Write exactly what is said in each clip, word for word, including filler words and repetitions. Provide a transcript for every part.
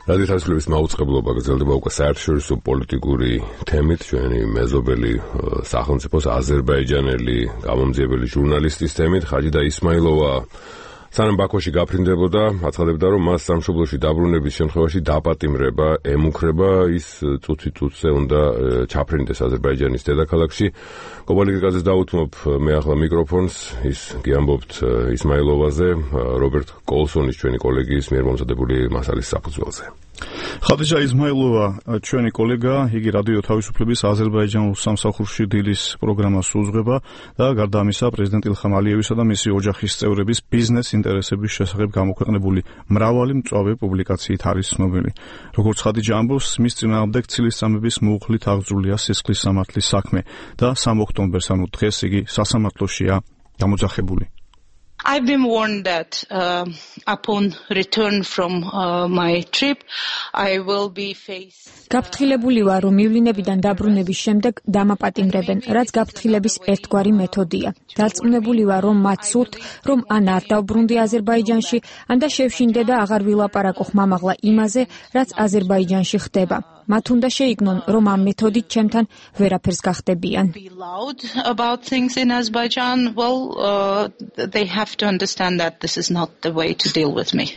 რადიო თავისუფლების მაუწყებლობა გრძელდება უკვე საერთაშორისო პოლიტიკური თემით. ჩვენი მეზობელი სახელმწიფოს აზერბაიჯანელი გამომძიებელი ჟურნალისტის თემით ხაჯიდა ისმაილოვა სანამ ბაქოში გაფრინდებოდა, აცხადებდა, რომ მას სამშობლოში დაბრუნების შემთხვევაში დაპატიმრება ემუქრება, ის წუთი წუთზე უნდა ჩაფრინდეს აზერბაიჯანის დედაქალაქში. კობალიკაზე დავუთმობ მე ახლა მიკროფონს, ის გიამბობთ ისმაილოვაზე, რობერტ კოლსონის ჩვენი კოლეგის მიერ მომზადებული მასალის საფუძველზე. ხადიჯა ისმაილოვა, ჩვენი კოლეგა, იგი რადიო თავისუფლების აზერბაიჯანულ სამსახურში დილის პროგრამას უძღვება და გარდა ამისა პრეზიდენტ ილხამ ალიევისა და მისი ოჯახის წევრების ბიზნეს ინტერესების შესახებ გამოქვეყნებული მრავალი მწვავე პუბლიკაციით არის ცნობილი. როგორც ხადიჯა ამბობს, მის წინააღმდეგ ცილისწამების მოუხლით აღძრულია სისხლის სამართლის საქმე და სამ ოქტომბერს, ანუ დღეს იგი სასამართლოშია გამოძახებული. I've been warned that uh, upon return from uh, my trip, I will be faced. გაფრთხილებული ვარ, რომ მივლინებიდან დაბრუნების შემდეგ დამაპატიმრებენ, რაც გაფრთხილების ერთგვარი მეთოდია. დარწმუნებული ვარ, რომ მათ სურთ, რომ ან არ დავბრუნდი აზერბაიჯანში, ან და შევშინდე და აღარ ვილაპარაკო ხმამაღლა იმაზე, რაც აზერბაიჯანში ხდება. მათ უნდა შეიგნონ, რომ ამ მეთოდით ჩემთან ვერაფერს გახდებიან. About things in Azerbaijan, well, uh, they have to understand that this is not the way to deal with me.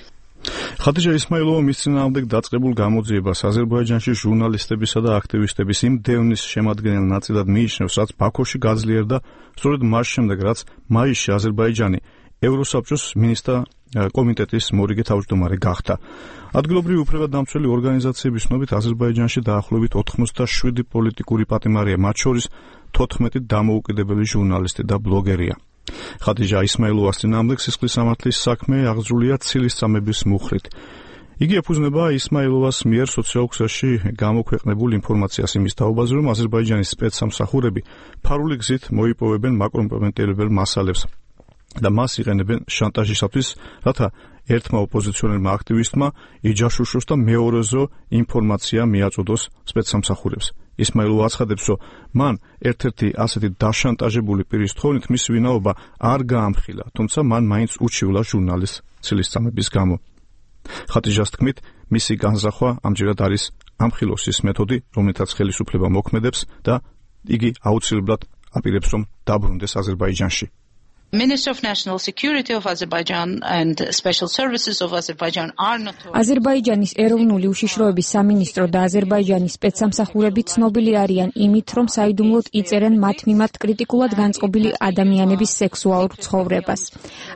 ხადიჯა ისმაილოვა მის წინააღმდეგ დაწყებულ გამოძიებას აზერბაიჯანში ჟურნალისტებისა და აქტივისტების იმ დევნის შემადგენელ ნაწილად მიიჩნევს, რაც ბაქოში გაძლიერდა სწორედ მას შემდეგ, რაც მაისში აზერბაიჯანი ევროსაბჭოს მინისტრთა კომიტეტის მორიგე თავმჯდომარე გახდა. ადგილობრივი უფლებადამცველი ორგანიზაციების ცნობით აზერბაიჯანში დაახლოებით ოთხმოცდაშვიდი პოლიტიკური პატიმარია, მათ შორის თოთხმეტი დამოუკიდებელი ჟურნალისტი და ბლოგერია. ხადიჯა ისმაილოვას წინააღმდეგ სისხლის სამართლის საქმე აღძრულია ცილისწამების მუხლით. იგი ეფუძნება ისმაილოვას მიერ სოციალურ გამოქვეყნებულ ინფორმაციას იმის თაობაზე, რომ აზერბაიჯანის სპეცსამსახურები ფარული გზით მოიპოვებენ მაკომპრომეტებელ მასალებს და მას იყენებენ შანტაჟისათვის, რათა ერთმა ოპოზიციონერმა აქტივისტმა იჯაშუშოს და მეორეზო ინფორმაცია მიაწოდოს სპეცსამსახურებს. ისმაილოვა აცხადებს, რომ მან ერთ-ერთი ასეთი დაშანტაჟებული პირის თხოვნით მის ვინაობა არ გაამხილა, თუმცა მან მაინც უჩივლა ჟურნალისტს ცილისწამების გამო. ხადიჯას თქმით, მისი განზრახვა ამჯერად არის ამხილოსის მეთოდი, რომელთაც ხელისუფლება მოქმედებს და იგი აუცილებლად აპირებს, რომ დაბრუნდეს აზერბაიჯანში. Minister of National Security of Azerbaijan and Special Services of Azerbaijan are notorious. აზერბაიჯანის ეროვნული უშიშროების სამინისტრო და აზერბაიჯანის სპეცსამსახურები ცნობილი არიან იმით, რომ საიდუმლოდ იწერენ მათ მიმართ კრიტიკულად განწყობილი ადამიანების სექსუალურ ცხოვრებას.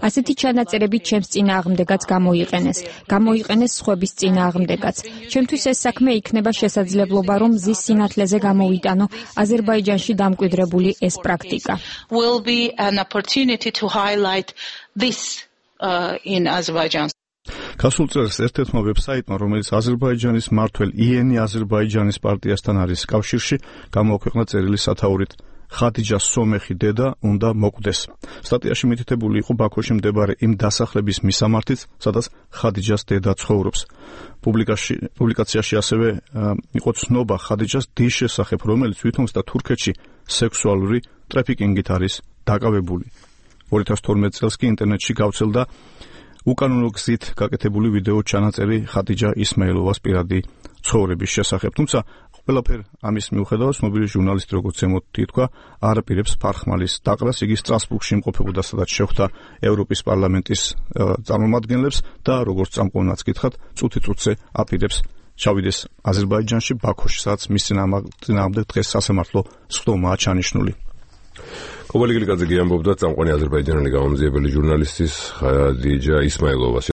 ასეთი ჩანაწერები ჩემს წინააღმდეგაც გამოიყენეს, გამოიყენეს სხვების წინააღმდეგაც. ჩემთვის ეს საქმე იქნება შესაძლებლობა, რომ მზის სინათლეზე გამოვიტანო აზერბაიჯანში დამკვიდრებული ეს პრაქტიკა. Will be an opportunity to highlight this uh, in Azerbaijan. გასულ წელს ერთ-ერთმა ვებსაიტმა, რომელიც აზერბაიჯანის მმართველ იენი აზერბაიჯანის პარტიასთან არის კავშირში, გამოაქვეყნა წერილი სათაურით ხადიჯას სომეხი დედა უნდა მოკვდეს. სტატიაში მითითებული იყო ბაქოში მდებარე იმ დასახლების მისამართიც, სადაც ხადიჯას დედა ცხოვრობს. პუბლიკაციაში ასევე იყო ცნობა ხადიჯას დის შესახებ, რომელიც ვითომს და თურქეთში სექსუალური ტრაფიკინგით არის დაკავებული. ორი ათას თორმეტ წელს კი ინტერნეტში გავრცელდა უკანონო გზით გაკეთებული ვიდეო ჩანაწერი ხადიჯა ისმაილოვას პირადი ცხოვრების შესახებ. თუმცა ყველაფერ ამის მიუხედავად ცნობილი ჟურნალისტი, როგორც ზემოთ ითქვა, არ აპირებს ფარხმალის დაყრას. იგი სტრასბურგში იმყოფებოდა, სადაც შეხვდა ევროპის პარლამენტის წარმომადგენლებს და როგორც წამყვანაც გითხრათ, წუთი წუთზე აპირებს ჩავიდეს აზერბაიჯანში, ბაქოში, სადაც მის წინააღმდეგ დღეს სასამართლო სხდომაა ჩანიშნული. კობალიკაზე გიამბობდა წამყვანი აზერბაიჯანელი გამომძიებელი ჟურნალისტის ხადიჯა ისმაილოვას